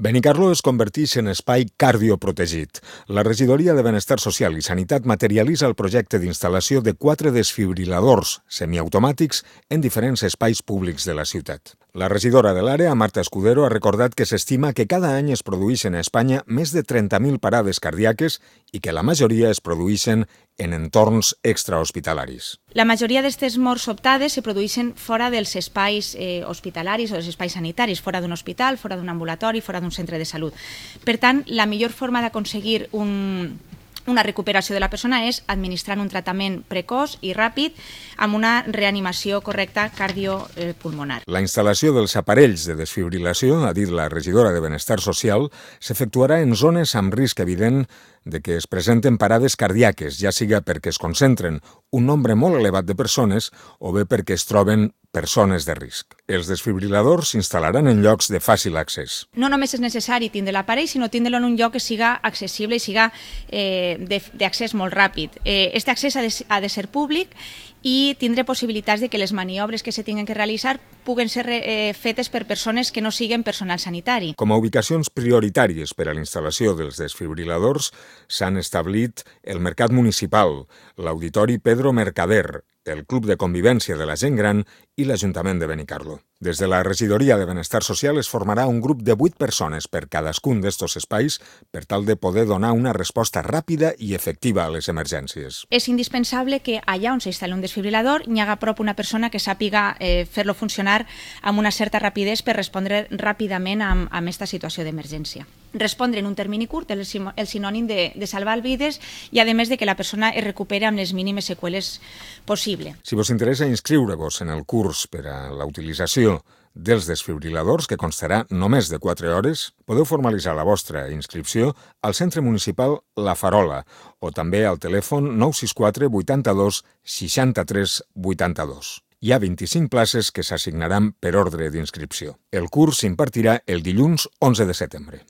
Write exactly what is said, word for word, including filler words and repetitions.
Benicarló es converteix en espai cardioprotegit. La Regidoria de Benestar Social i Sanitat materialitza el projecte d'instal·lació de quatre desfibriladors semiautomàtics en diferents espais públics de la ciutat. La regidora de l'àrea, Marta Escudero, ha recordat que s'estima que cada any es produeixen a Espanya més de trenta mil parades cardíaques i que la majoria es produeixen en entorns extrahospitalaris. La majoria d'aquestes morts sobtades se produeixen fora dels espais eh, hospitalaris o dels espais sanitaris, fora d'un hospital, fora d'un ambulatori, fora d'un centre de salut. Per tant, la millor forma d'aconseguir un... una recuperació de la persona és administrant un tractament precoç i ràpid amb una reanimació correcta cardiopulmonar. La instal·lació dels aparells de desfibrilació, ha dit la regidora de Benestar Social, s'efectuarà en zones amb risc evident de que es presenten parades cardíaques, ja siga perquè es concentren un nombre molt elevat de persones o bé perquè es troben persones de risc. Els desfibriladors s'instal·laran en llocs de fàcil accés. No només és necessari tindre l'aparell, sinó tindre-lo en un lloc que siga accessible i siga eh, d'accés molt ràpid. Eh, este accés ha de, ha de ser públic i tindre possibilitats de que les maniobres que se tinguen que realitzar puguen ser eh, fetes per persones que no siguin personal sanitari. Com a ubicacions prioritàries per a la instal·lació dels desfibriladors s'han establit el Mercat Municipal, l'Auditori Pedro Mercader, el Club de Convivència de la Gent Gran i l'Ajuntament de Benicarló. Des de la Regidoria de Benestar Social es formarà un grup de vuit persones per cadascun d'estos espais per tal de poder donar una resposta ràpida i efectiva a les emergències. És indispensable que allà on s'instal·li un desfibrilador hi haga a prop una persona que sàpiga eh, fer-lo funcionar amb una certa rapidesa per respondre ràpidament a aquesta situació d'emergència. Respondre en un termini curt és el sinònim de, de salvar vides i a més de que la persona es recuperi amb les mínimes seqüeles possible. Si vos interessa inscriure-vos en el curs per a la utilització dels desfibriladors, que constarà només de quatre hores, podeu formalitzar la vostra inscripció al Centre Municipal La Farola o també al telèfon nou sis quatre vuitanta-dos seixanta-tres vuitanta-dos. Hi ha vint-i-cinc places que s'assignaran per ordre d'inscripció. El curs s'impartirà el dilluns onze de setembre.